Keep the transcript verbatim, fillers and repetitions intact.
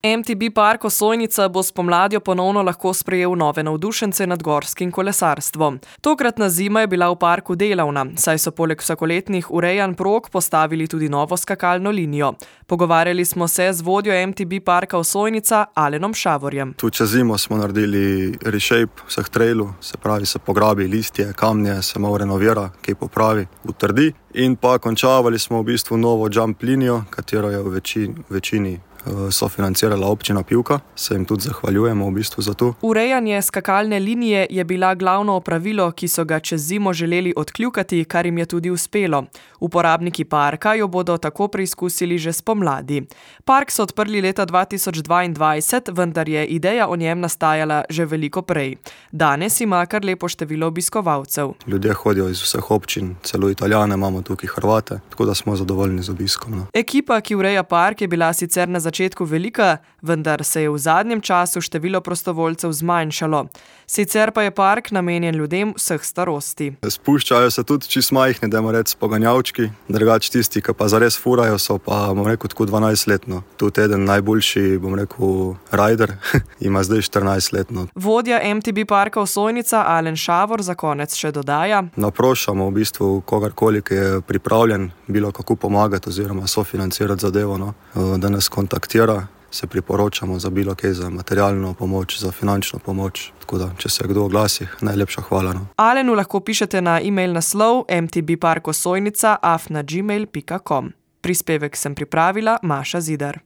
em te bé park Osojnica bo spomladjo ponovno lahko sprejel nove navdušence nad gorskim kolesarstvom. Tokratna zima je bila v parku delavna, saj so poleg vsakoletnih urejanj prog postavili tudi novo skakalno linijo. Pogovarjali smo se z vodjo em te bé parka Osojnica Alenom Šavorjem. Tu čez zimo smo naredili reshape vseh trailov, se pravi se pograbi listje, kamnje, se malo renovira, kaj popravi, utrdi. In pa končavali smo v bistvu novo jump linijo, katero je v večini, večini sofinancirala občina Pivka. Se jim tudi zahvaljujemo v bistvu za to. Urejanje skakalne linije je bila glavno opravilo, ki so ga čez zimo želeli odkljukati, kar jim je tudi uspelo. Uporabniki parka jo bodo tako preizkusili že spomladi. Park so odprli leta dva tisoč dvaindvajset, vendar je ideja o njem nastajala že veliko prej. Danes ima kar lepo število obiskovalcev. Ljudje hodijo iz vseh občin, celo Italijane imamo tukaj, Hrvate, tako da smo zadovoljni z obiskom. No. Ekipa, ki ureja park, je bila sicer na začetku velika, vendar se je v zadnjem času število prostovoljcev zmanjšalo. Sicer pa je park namenjen ljudem vseh starosti. Spuščajo se tudi čisto majhni, dajmo reči poganjavčki, drugače tisti, ki pa zares furajo, so pa, bom rekel, tako dvanajstletno. Tudi eden najboljši, bom rekel, rider, ima zdaj štirinajstletno. Vodja em te bé parka Osojnica Alen Šavor za konec še dodaja: Naprošamo v bistvu kogarkoli, ki je pripravljen bilo kako pomagati oziroma sofinancirati zadevo, no, da nas kontaktira. Se priporočamo za bilo kaj, za materialno pomoč, za finančno pomoč. Tako da, če se kdo oglasi, najlepša hvala. No. Alenu lahko pišete na e-mail naslov em te bé park osojnica afna gmail pika com. Prispevek sem pripravila Maša Zidar.